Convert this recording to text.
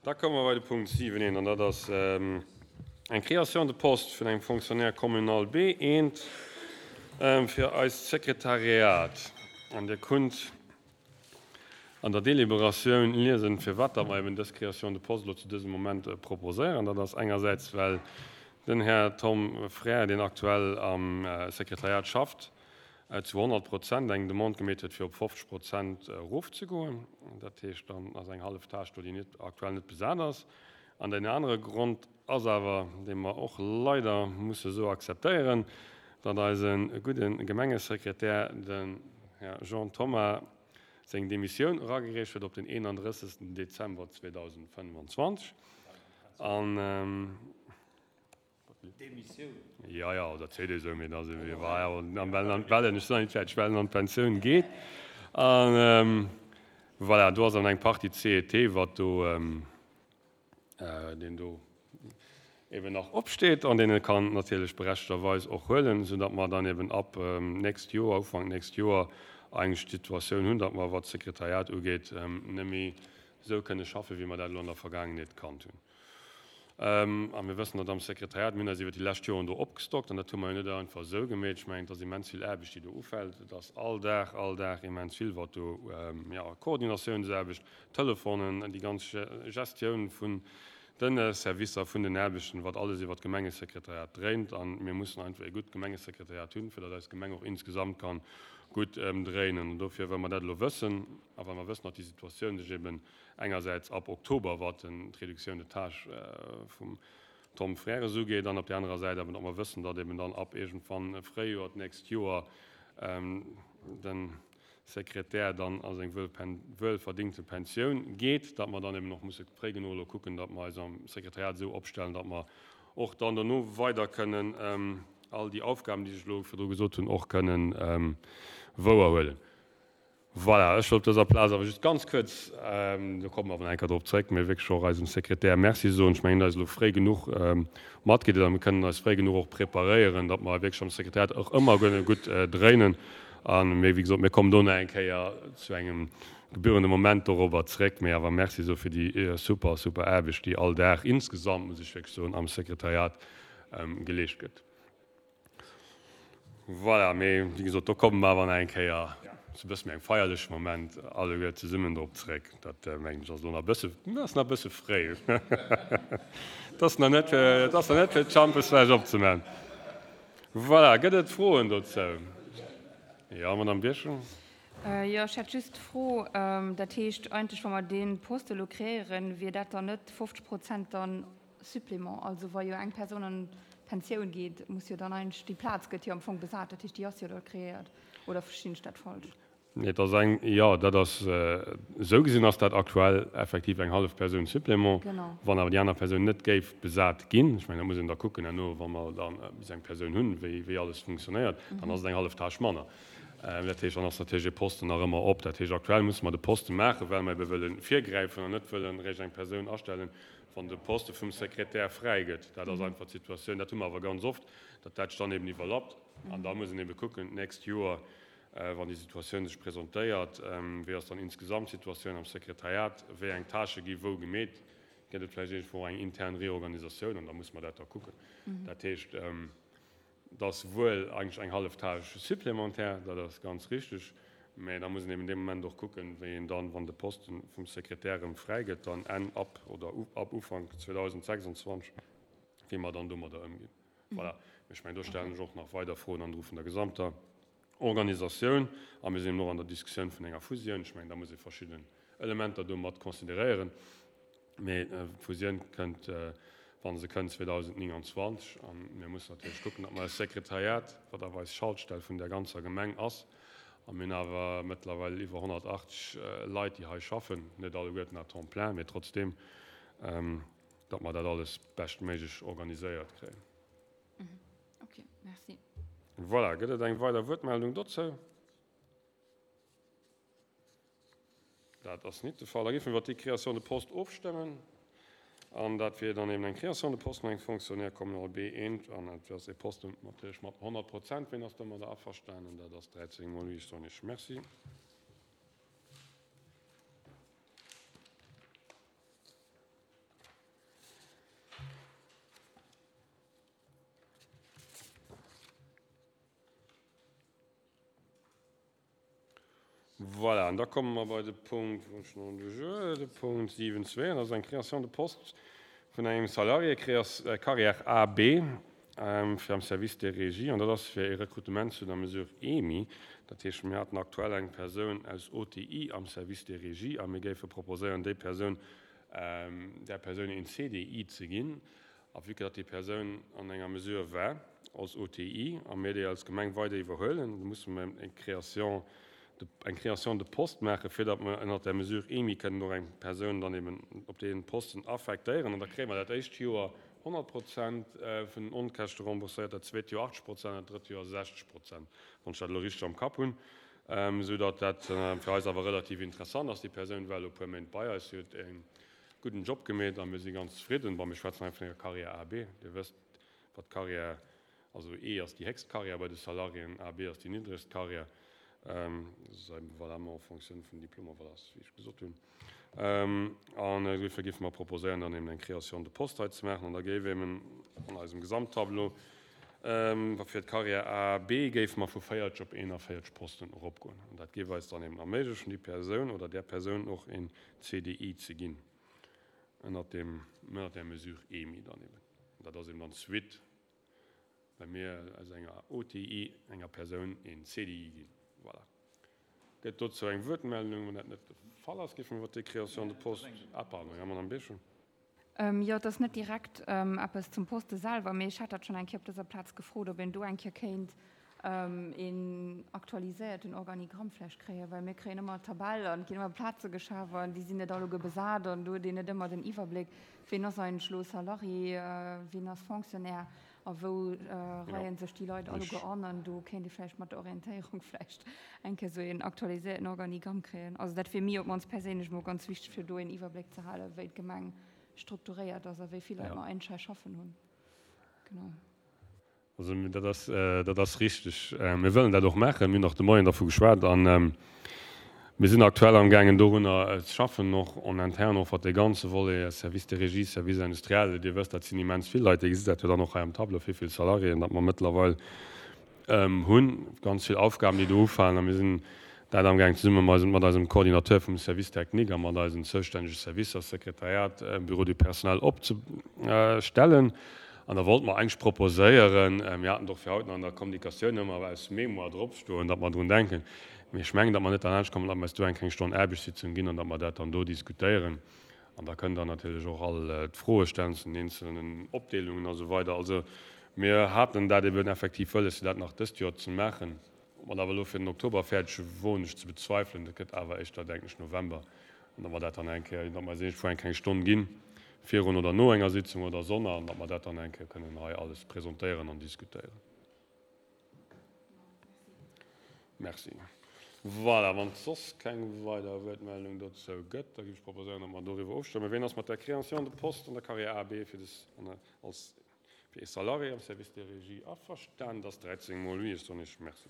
Da komme mer bei de Punkt 7 een, an dat ass eng Création de poste vun engem Fonctionnaire communal B1 fir eist Sekretariat. An Dir kunnt an der Deliberatioun liesen, firwat datt mer eben dës Création de poste elo zu dësem Moment proposéieren. Dat ass engersäits, well den Här Tom Frères, deen aktuell am Sekretariat schafft, zu 100 Prozent eng Demande gemeet huet, fir op 50 Prozent erofzegoen. Dat heescht, dann ass eng hallef Tâche do, déi net aktuell net besat ass. An deen anere Grond ass awer, dee mer och leider musse esou akzeptéieren, datt eise gudde Gemengesekretär, den Här Jean Thoma, seng Demissioun eragereecht huet op den 31. Dezember 2025. An. Demissioun? Jo, jo, dat seet ee sou, mee da si mir well ech sinn nach net fäerdeg, well en an d'Pensioun geet. An voilà, do ass dann eng Partie CET, wat do, deen do eben nach opsteet an deen e kann natierlech berechtegterweis och huelen, soudatt mer dann eben ab nächst Joer, Ufank nächst Joer eigentlech d'Situatioun hunn, datt mer, wat d'Sekretariat ugeet, net méi esou kënne schaffen, wéi mer dat elo an der Vergaangenheet kannt hunn. A mir wëssen, datt am Sekretariat, mir hunn eis iwwer déi lescht Joren do opgestockt, an dat hu mer jo net einfach esou gemeet. Ech mengen, et ass immens vill Aarbecht, déi do ufält. Et ass all Dag, all Dag immens vill, wat do, jo, Koordinatiounsaarbecht, Telefonen, déi ganz Gestioun vun de Servicer, vun den Aarbechten, wat alles iwwer d'Gemengesekretariat dréint. A mir mussen einfach ee gutt Gemengesekretariat hunn, fir datt eis Gemeng och insgesamt ka gutt dréinen. An dofir, well mer dat elo wëssen a well mer wëssen, datt déi Situatioun sech eben engersäits ab Oktober, wat d'Réduction de tâches vum Tom Frères ugeet, an op där anerer Säit awer, datt mer wëssen, datt eben dann ab iergendwann Fréijoer d'nächst Joer de Sekretär dann a seng wuelverdingte Pensioun geet, datt mer dann eben och musse fréi genuch elo kucken, datt mer eis am Sekretariat esou opstellen, datt mer och dann dono weider kënnen all déi Aufgaben, déi ech elo virdru gesot hunn, och kënnen wouerhuelen. Voilà, ech wollt op dëser Plaz awer just ganz kuerz, do komme mer awer nach eng Kéier drop zréck, mee wierklech och eisem Sekretär Merci soen. Ech mengen, hien huet eis elo fréi genuch matgedeelt a mir kënnen eis fréi genuch och preparéieren, datt mer wierklech am Sekretariat och ëmmer kënne gutt dréinen. A mee wéi gesot, mir kommen do nach eng Kéier zu engem gebührende Moment dorobber zréck. Mee awer Merci soe fir déi super, super Aarbecht, déi all Dag insgesamt, muss ech wierklech soen, am Sekretariat geleescht gëtt. Voilà, mee wéi gesot, do komme mer awer nach eng Kéier zu e bësse méi engem feierleche Moment alleguer zesummen drop zréck. Dat, mengen ech, ass elo nach e bësse, ass nach e bësse fréi. Et ass nach net fir, et ass nach net fir d'Schampesfläsch opzemaachen. Voilà, gëtt et Froen dozou? Jo, Madamm Birchen. Jo, ech hätt just d'Fro, dat heescht eigentlech, wa mer dee Poste elo kreéieren, wier dat dann net 50 Prozent dann Supplément, also wa jo eng Persoun an d'Pensioun geet, muss jo dann eigentlech, déi Plaz gëtt jo am Fong besat, dat heescht déi ass jo da kreéiert, oder verstinn ech dat falsch? Nee, et ass eng, jo, dat ass, esou gesinn ass dat aktuell effektiv eng hallef Persoun Supplément. Genau. Wann awer déi aner Persoun net géif besat ginn, ech mengen, dat muss een da kucken herno, wa mer da bis eng Persoun hunn, wéi, wéi alles funktionéiert, dann ass et eng hallef Tâche manner. Dat heescht, dann ass natierlech e Posten nach ëmmer op. Dat heescht, aktuell musse mer de Poste maachen, well mer ebe wëlle virgräifen an net wëllen eréischt eng Persoun astellen, wann de Poste vum Sekretär fräi gëtt. Dat ass einfach d'Situatioun. Dat hu mer awer ganz oft, datt dat sech dann eben iwwerlappt. An da muss een ebe kucken, d'nächst Joer, wann déi Situatioun sech presentéiert, wéi ass dann insgesamt d'Situatioun am Sekretariat, wéi eng Tâchë gi wou gemeet, gëtt et vläicht iergendwou eng intern Reorganisatioun an da muss mer dat da kucken. Dat heescht, Et ass wuel eigentlech eng hallef Tâche supplémentaire, dat ass ganz richtig, mä da muss een eben dee Moment och kucken, wéi een dann, wann de Poste vum Sekretär erëm fräi gëtt, dann Enn, ab oder ab Ufank 2026, wéi mer dann domadder ëmginn. Voilà. Mä ech mengen, do stellen ech och nach weider Froen an Dru vun der gesamter Organisatioun. A mir sinn eben och an der Diskussioun vun enger Fusioun. Ech mengen, da muss ee verschidden Elementer do mat consideréieren. Mee d'Fusioun kënnt, wa se kënnt, 2029. A mir mussen natierlech kucken, datt mer eist Sekretariat, wat awer eis Schaltstell vun der ganzer Gemeng ass, a mir hunn awer mëttlerweil iwwer 180 Leit, déi hei schaffen, net alleguerten à temps plein, mee trotzdeem, datt mer dat alles beschtméiglech organiséiert kréien. Ok, merci. Voilà, gëtt et eng weider Wuertmeldung dozou? Dat ass nit de Fall. Da géife mer iwwert déi Création de poste ofstëmmen. An dat wier dann eben eng Création de poste vun engem Fonctionnaire communal B1. An dat ass e Posten natierlech mat 100 Prozent. Wien ass domadder averstanen? Dat ass 13 mol oui. Ech soen Iech Merci. Voilà, an da komme mer bei de Punkt, wou ech nach de Jeu, de Punkt 7.2, an dat ass eng Création de poste vun engem Salarié, Carrière AB, fir am Service des Régies, an dat ass fir e Rekrutement zu der Mesure EMI. Dat heescht, mir haten aktuell eng Persoun aus OTI am Service des Régies a mir géife proposéieren, déi Persoun, där Persoun een CDI ze ginn. A vue que datt déi Persoun an enger Mesure war als OTI a mir déi als Gemeng weider iwwerhuelen, da musse mer eng Création de, eng Création de poste maachen, fir datt mer ënnert där Mesure EMI kënnen och eng Persoun dann eben op dee Posten affektéieren. An da kréie mer dat éischt Joer 100 Prozent vun den Onkäschte rembourséiert, dat zweet Joer 80 Prozent an dat drëtt Joer 60 Prozent, wann ech dat elo richteg am Kapp hunn, esou datt dat fir eis awer relativ interessant ass. Déi Persoun war elo e puer Méint bei eis, si huet e gudden Job gemeet a mir si ganz zefridden. Bon, mir schwätzen hei vun enger Carrière A, B. Dir wësst, wat d'Carrière, also E ass déi héchst Carrière bei de Salariéen, A, B ass déi niddregst Carrière. Dat ass valablement en fonction vun Diplomer, voilà, wéi ech gesot hunn. An dofir géife mer proposéieren, dann eben eng Création de poste hei ze maachen. An da géif eben an eisem Gesamttableau fir d'Carrière A, B géife mer vu 40 op 41 Posten eropgoen. An dat géif eis dann eben erméiglechen, déi Persoun oder där Persoun och een CDI ze ginn, ënnert deem, ënnert där Mesure EMI dann eben. An dat ass eben dann d'Suite, well mir aus enger OTI enger Persoun een CDI ginn. Voilà. Gëtt dozou eng Wuertmeldung? Wann dat net de Fall ass, géife mer iwwert déi Création de poste, ah pardon, jo, Madame Beschen. Jo, et ass net direkt eppes zum Poste selwer, mee ech hat dat schonn eng Kéier op dëser Plaz gefrot, ob een do eng Kéier kéint een aktualiséierten Organigramm vläicht kréien, well mir kréien ëmmer Tabell an et ginn ëmmer Plaze geschaf an déi sinn net alleguer besat an do huet een net ëmmer den Iwwerbléck, ween ass eigentlech elo Salarié, ween ass Fonctionnaire A wou reien sech déi Leit alleguer an? An do kéint ee vläicht mat der Orientéierung vläicht eng Kéier esou een aktualiséierten Organigramm kréien. Also dat wier mir op d'mannst perséinlech emol ganz wichteg, fir do een Iwwerbléck ze halen, wéi d'Gemeng strukturéiert ass a wéi vill Leit mer eigentlech hei schaffen hunn. Genau. Also dat ass, dat ass richteg. Mir wëllen dat och maachen. Mir hunn och de Moien dervu geschwat an Mir sinn aktuell amgaangen dorunner ze schaffen, och en interne, och wat dee ganze Volet Service de régie, Service industriel, Dir wësst, dat sinn immens vill Leit, Dir gesitt dat jo dann och hei am Tableau, wéi vill Salariéen datt mer mëttlerweil hunn, ganz vill Aufgaben, déi do ufalen. A mir sinn dat amgaangen zesumme mat eisem Coordinateur vum Service technique a mat eisen zoustännege Servicer, Sekretariat, Bureau du personnel, opzestellen. An da wollte mer eigentlech proposéieren, mir haten et och fir haut nach an der Kommunikatioun ëmmer aus Mémoire dropstoen, datt mer drun denken, mee ech mengen, datt mer net derlaanscht kommen, datt mer eis do eng kleng Stonn Aarbechtssitzung ginn an datt mer dat dann do diskutéieren. An da kënnt Der natierlech och all d'Froe stellen zu den eenzelnen Opdeelungen a sou weider. Also mir haten dat eben effektiv wëlles, fir dat nach dëst Joer ze maachen. Ob mer dat awer elo fir den Oktober fäerdeg hu woen ech ze bezweifelen. Dat gëtt awer éischter, denken ech, November. An datt mer dat dann eng Kéier, datt mer eis iergendwou eng kleng Stonn ginn, virun oder no enger Sitzung oder sonner, an datt mer dat dann eng Kéier kënnen hei alles presentéieren an diskutéieren. Merci. Voilà, wann et soss keng weider Wuertmeldung dozou gëtt, da géif ech proposéieren, datt mer doriwwer ofstëmmen. Ween ass mat der Création de poste an der Carrière AB fir des, als, fir ee Salarié am Service des Régies averstanen? Dat ass 13 mol oui. Ech soen Iech Merci.